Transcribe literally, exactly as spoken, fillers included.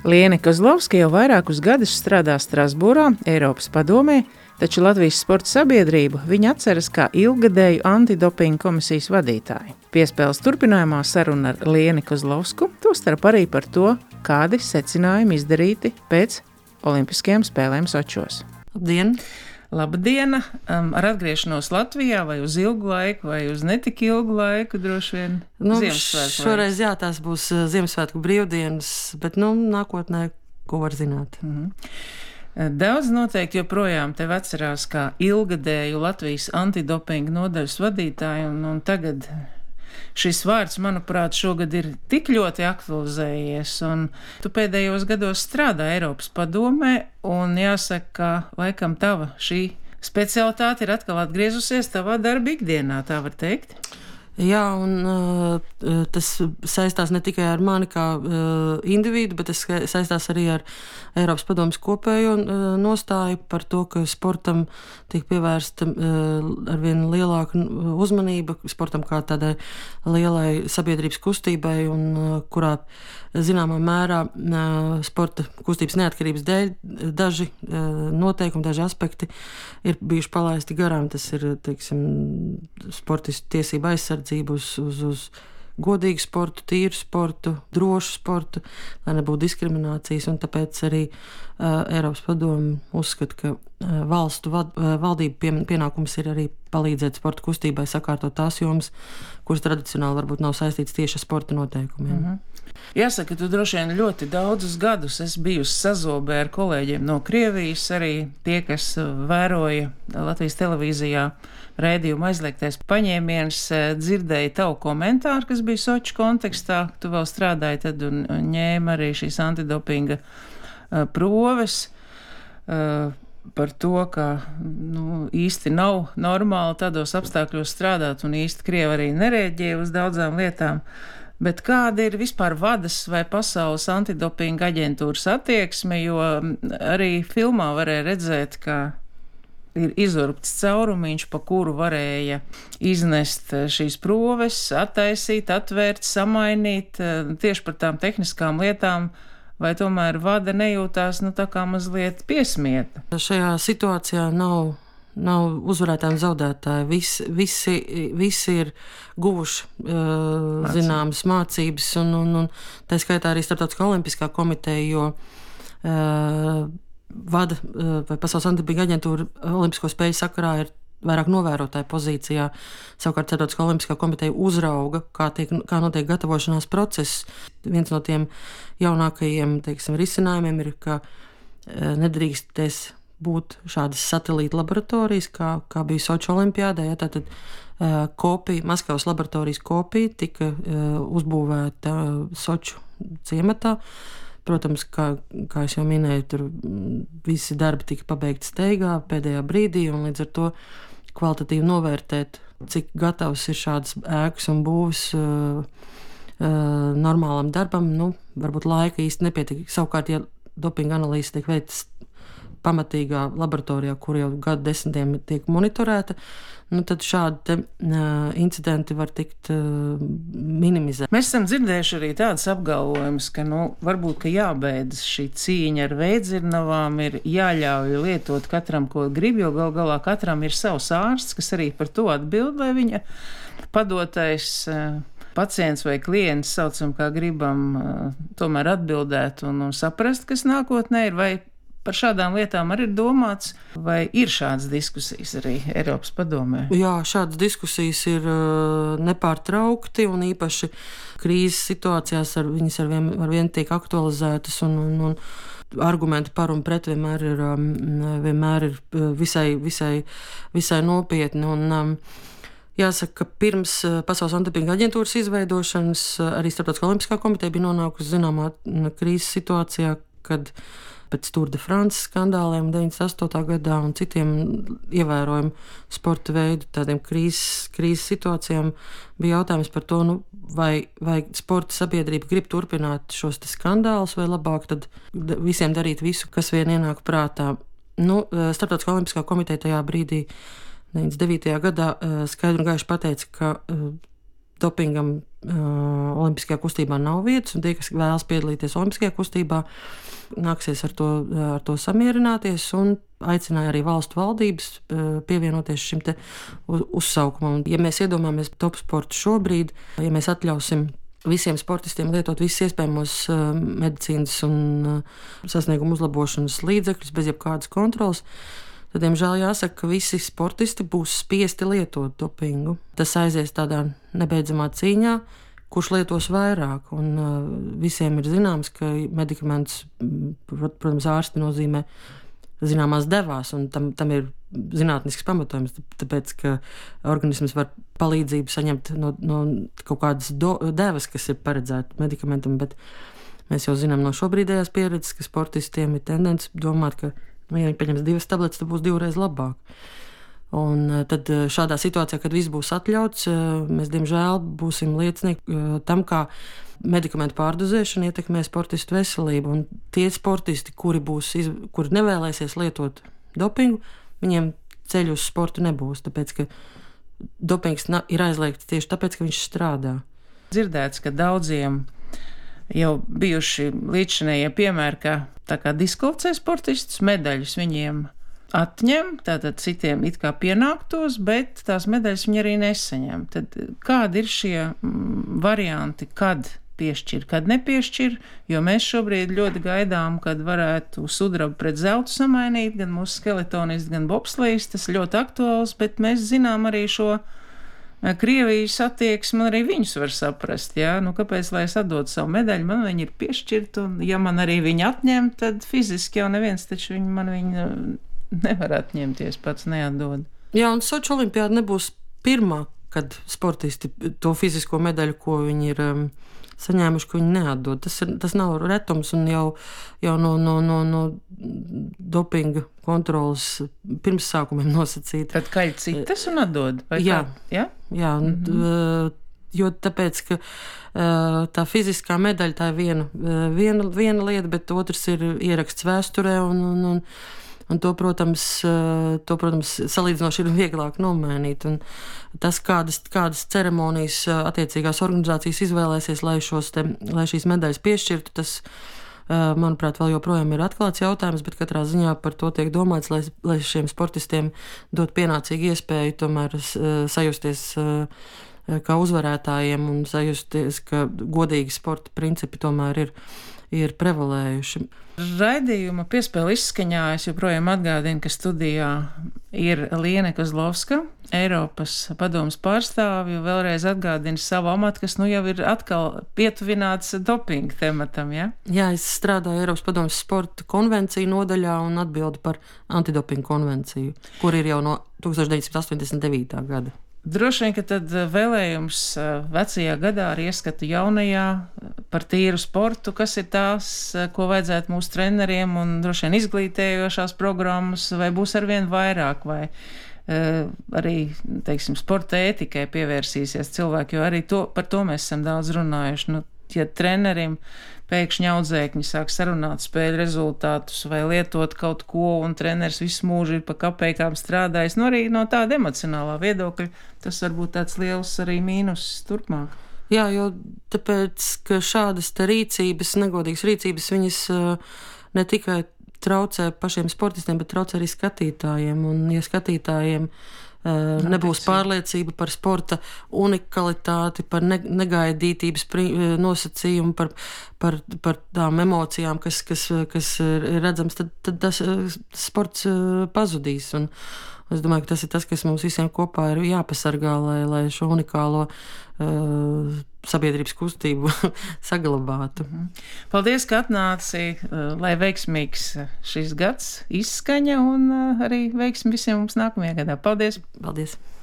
Liene Kozlovska jau vairākus gadus strādā Strasbūrā, Eiropas padomē, taču Latvijas sporta sabiedrību viņa atceras kā ilggadēju antidopinga komisijas vadītāju. Piespēles turpinājumā saruna ar Lieni Kozlovsku, tostarp arī par to, kādi secinājumi izdarīti pēc Olimpiskajām spēlēm Sočos. Labdien! Labdiena! Um, ar atgriešanos Latvijā vai uz ilgu laiku, vai uz netik ilgu laiku droši vien Nu, Ziemassvētku šoreiz, jā, tās būs uh, Ziemassvētku brīvdienas, bet, nu, nākotnē, ko var zināt. Mhm. Daudz noteikti joprojām tevi atcerās kā ilgadēju Latvijas antidopinga nodaļas vadītāju, un, un tagad šis vārds, manuprāt, šogad ir tik ļoti aktualizējies, un tu pēdējos gados strādā Eiropas padomē, un jāsaka, ka laikam tava šī specialitāte ir atkal atgriezusies tavā darba ikdienā, tā var teikt? Jā, un uh, tas saistās ne tikai ar mani kā uh, individu, bet tas saistās arī ar Eiropas padomes kopējo uh, nostāju par to, ka sportam tiek pievērsta uh, arvien lielāka uzmanība, sportam kā tādai lielai sabiedrības kustībai, un uh, kurā zināmā mērā uh, sporta kustības neatkarības dēļ daži uh, noteikumi, daži aspekti ir bijuši palaisti garām. Tas ir, teiksim, sportistu tiesība aizsardzība uz, uz, uz godīgu sportu, tīru sportu, drošu sportu, lai nebūtu diskriminācijas, un tāpēc arī uh, Eiropas padome uzskata, ka uh, valstu vad, uh, valdību pie, pienākums ir arī palīdzēt sporta kustībai sakārtot tās jomas, kuras tradicionāli varbūt nav saistītas tieši ar sporta noteikumiem. Mhm. Jāsaka, tu droši vien ļoti daudzus gadus esi bijusi sazobē ar kolēģiem no Krievijas, arī tie, kas vēroja Latvijas televīzijā raidījumu Aizliegtais paņēmiens, dzirdēja tavu komentāru, kas bija Soču kontekstā. Tu vēl strādāji tad un ņēma arī šīs antidopinga uh, proves uh, par to, ka nu, īsti nav normāli tādos apstākļos strādāt, un īsti Krievi arī nereaģēja uz daudzām lietām. Bet kāda ir vispār vadas vai pasaules antidopinga aģentūras attieksme, jo arī filmā varēja redzēt, ka ir izurpts caurumiņš, pa kuru varēja iznest šīs proves, attaisīt, atvērt, samainīt, tieši par tām tehniskām lietām, vai tomēr vada nejūtās, nu, tā kā mazliet piesmieta? Šajā situācijā nav Nav uzvarētāji un zaudētāji. Visi, visi, visi ir guvuši uh, zināmas mācības, un, un, un tā skaitā arī Starptautiskā olimpiskā komiteja, jo uh, vada uh, vai Pasaules antidopinga aģentūra olimpisko spēļu sakarā ir vairāk novērotāju pozīcijā. Savukārt Starptautiskā olimpiskā komiteja uzrauga, kā, tiek, kā notiek gatavošanās process. Viens no tiem jaunākajiem, teiksim, risinājumiem ir, ka uh, nedrīkstēs būt šādas satelīta laboratorijas, kā, kā bija Soču olimpiādē. Ja, tātad uh, kopija, Maskavas laboratorijas kopija tika uh, uzbūvēta uh, Soču ciematā. Protams, kā, kā es jau minēju, tur visi darbi tika pabeigti steigā pēdējā brīdī, un līdz ar to kvalitatīvi novērtēt, cik gatavs ir šādas ēkas un būvs uh, uh, normālam darbam, nu, varbūt laika īsti nepietika. Savukārt, ja dopinga analīze tiek veikts pamatīgā laboratorijā, kur jau gadu desmitiem tiek monitorēta, nu tad šādi te, uh, incidenti var tikt uh, minimizēti. Mēs esam dzirdējuši arī tādas apgalvojumus, ka nu, varbūt ka jābeidzas šī cīņa ar veidzirnavām, ir jāļauj lietot katram, ko grib, jo gal galā katram ir savs ārsts, kas arī par to atbild, vai viņa padotais uh, pacients vai klients, saucam kā gribam, uh, tomēr atbildēt un, un saprast, kas nākotnē ir, vai par šādām lietām arī ir domāts, vai ir šādas diskusijas arī Eiropas padomē? Jā, šādas diskusijas ir uh, nepārtraukti, un īpaši krīzes situācijās ar, viņas ar vien, ar vien tiek aktualizētas, un, un, un argumenti par un pret vienmēr ir, um, vienmēr ir visai, visai, visai nopietni. Un, um, jāsaka, ka pirms Pasaules antidopinga aģentūras izveidošanas arī Starptautiskā olimpiskā komiteja bija nonākusi zināmā krīzes situācijā, kad pēc Tour de France skandāliem deviņdesmit astotā gadā un citiem ievērojumu sporta veidu, tādiem krīzes, krīzes situācijām, bija jautājums par to, nu, vai, vai sporta sabiedrība grib turpināt šos skandālus, vai labāk tad visiem darīt visu, kas vien ienāk prātā. Nu, Starptautiskā olimpiskā komiteja tajā brīdī deviņdesmit devītajā gadā skaidri un gaiši pateica, ka dopingam uh, olimpiskajā kustībā nav vietas, un tie, kas vēlas piedalīties olimpiskajā kustībā, nāksies ar to, ar to samierināties, un aicināja arī valstu valdības uh, pievienoties šim te uzsaukumam. Ja mēs iedomājamies top sportu šobrīd, ja mēs atļausim visiem sportistiem lietot visus iespējamos uh, medicīnas un uh, sasniegumu uzlabošanas līdzekļus bez jebkādas kontrolas, tad, diemžēl, jāsaka, ka visi sportisti būs spiesti lietot dopingu. Tas aizies tādā nebeidzamā cīņā, kurš lietos vairāk. Un, uh, visiem ir zināms, ka medikaments, protams, ārsti nozīmē zināmās devās, un tam, tam ir zinātnisks pamatojums, tāpēc, ka organisms var palīdzību saņemt no, no kaut kādas do, devas, kas ir paredzēta medikamentam, bet mēs jau zinām no šobrīdējās pieredzes, ka sportistiem ir tendence domāt, ka, ja viņi paņems divas tabletes, tad būs divreiz labāk. Un tad šādā situācijā, kad viss būs atļauts, mēs, diemžēl, būsim liecinieki tam, kā medikamentu pārdozēšana ietekmē sportistu veselību. Un tie sportisti, kuri, būs, kuri nevēlēsies lietot dopingu, viņiem ceļu uz sportu nebūs, tāpēc, ka dopings ir aizliegts tieši tāpēc, ka viņš strādā. Dzirdēts, ka daudziem jau bijuši līdzšinējie piemēri, ka tā kā diskvalificē sportistus, medaļas viņiem atņem, tātad citiem it kā pienāktos, bet tās medaļas viņi arī nesaņem. Tad kādi ir šie mm, varianti, kad piešķir, kad nepiešķir, jo mēs šobrīd ļoti gaidām, kad varētu sudrabu pret zeltu samainīt, gan mūsu skeletonisti, gan bobslejs, tas ļoti aktuāls, bet mēs zinām arī šo Krievijas attieksmi, arī viņus var saprast, jā, nu kāpēc, lai es atdodu savu medaļu, man viņi ir piešķirt, un ja man arī viņi atņem, tad fiziski jau neviens, taču viņi man viņi nevar atņemties, pats neatdod. Jā, un Soču olimpiāda nebūs pirmā, kad sportisti to fizisko medaļu, ko viņi ir um, saņēmuši, ko viņi neatdod. Tas, ir, tas nav retums, un jau, jau no, no, no, no dopinga kontrolas pirmsākumiem nosacīta. Tad kaļ citas un atdod? Jā, jā? jā mm-hmm. Jo tāpēc, ka tā fiziskā medaļa tā ir viena, viena, viena lieta, bet otrs ir ieraksts vēsturē, un, un, un Un to, protams, to, protams, salīdzinoši ir vieglāk nomainīt. Un tas, kādas, kādas ceremonijas attiecīgās organizācijas izvēlēsies, lai, šos te, lai šīs medaļas piešķirtu, tas, manuprāt, vēl joprojām ir atklāts jautājums, bet katrā ziņā par to tiek domāts, lai, lai šiem sportistiem dot pienācīgu iespēju tomēr sajusties kā uzvarētājiem un sajusties, ka godīgi sporta principi tomēr ir, ir prevalējuši. Raidījuma piespēle izskaņā es joprojām atgādinu, ka studijā ir Liene Kozlovska, Eiropas padomes pārstāvju, vēlreiz atgādinu savu amatu, kas nu jau ir atkal pietuvināts dopinga tematam, ja? Jā, es strādāju Eiropas padomes sporta konvenciju nodaļā un atbildu par antidopinga konvenciju, kur ir jau no tūkstoš deviņsimt astoņdesmit devītā gada. Droši vien, ka tad vēlējums vecajā gadā ar ieskatu jaunajā par tīru sportu, kas ir tās, ko vajadzētu mūsu treneriem un droši vien izglītējošās programmas, vai būs arvien vairāk, vai uh, arī, teiksim, sporta ētikai pievērsīsies cilvēki, jo arī to, par to mēs esam daudz runājuši. Nu, ja trenerim pēkšņi audzēkņi sāk sarunāt spēļu rezultātus vai lietot kaut ko, un treneris visu mūžu ir pa kapeikām strādājis, nu arī no tāda emocionālā viedokļa, tas var būt tāds liels arī mīnus turpmāk. Jā, jo tāpēc, ka šādas te rīcības, negodīgas rīcības, viņas ne tikai traucē pašiem sportistiem, bet traucē arī skatītājiem, un ja skatītājiem Uh, nebūs pārliecība par sporta unikalitāti, par ne, negaidītības pri, nosacījumu, par, par, par tām emocijām, kas, kas, kas ir redzams, tad, tad tas sports pazudīs. Un es domāju, ka tas ir tas, kas mums visiem kopā ir jāpasargā, lai, lai šo unikālo uh, sabiedrības kustību saglabātu. Paldies, ka atnāci, lai veiksmīgs šis gads izskaņa un arī veiksmi visiem mums nākamajā gadā. Paldies! Paldies!